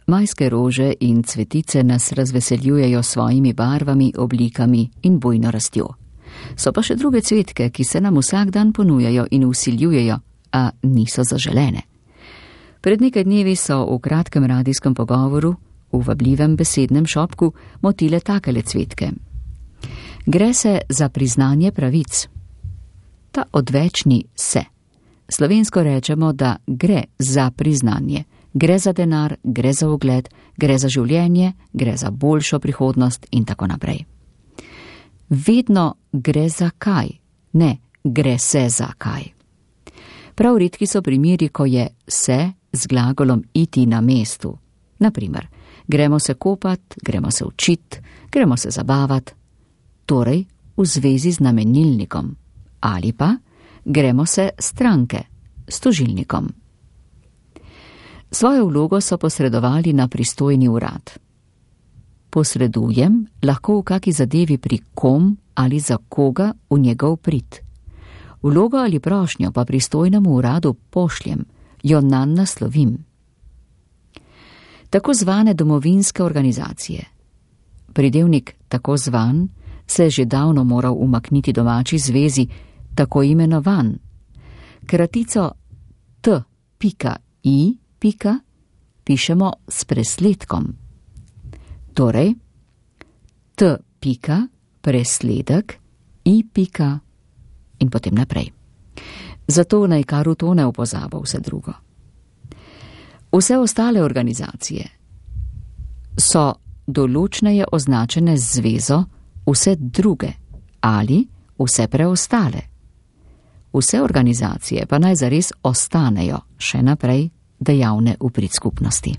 Majske rože in cvetice nas razveseljujejo s svojimi barvami, oblikami in bujno rastjo. So pa še druge cvetke, ki se nam vsak dan ponujajo in vsiljujejo, a niso zaželene. Pred nekaj dnevi so v kratkem radijskem pogovoru, v vabljivem besednem šopku, motile takele cvetke. Gre se za priznanje pravic. Ta odvečni se. Slovensko rečemo, da gre za priznanje. Gre za denar, gre za ugled, gre za življenje, gre za boljšo prihodnost in tako naprej. Vedno gre za kaj, ne gre se za kaj. Prav redki so primeri, ko je se z glagolom iti na mestu. Naprimer, gremo se kopat, gremo se učit, gremo se zabavat, torej v zvezi z namenilnikom, ali pa gremo se stranke s tožilnikom. Svojo vlogo so posredovali na pristojni urad. Posredujem lahko v kaki zadevi pri kom ali za koga v njegov prid. Vlogo ali prošnjo pa pristojnemu uradu pošljem, jo nanj naslovim. Tako zvane domovinske organizacije. Pridevnik tako zvan se je že davno moral umakniti domači zvezi, tako imenovan. Kratico t.i. pišemo s presledkom. Torej, t. presledek i. in potem naprej. Zato naj kar utone v pozabo vse drugo. Vse ostale organizacije so določneje označene z zvezo vse druge ali vse preostale. Vse organizacije pa naj zares ostanejo še naprej dejavne v prid skupnosti.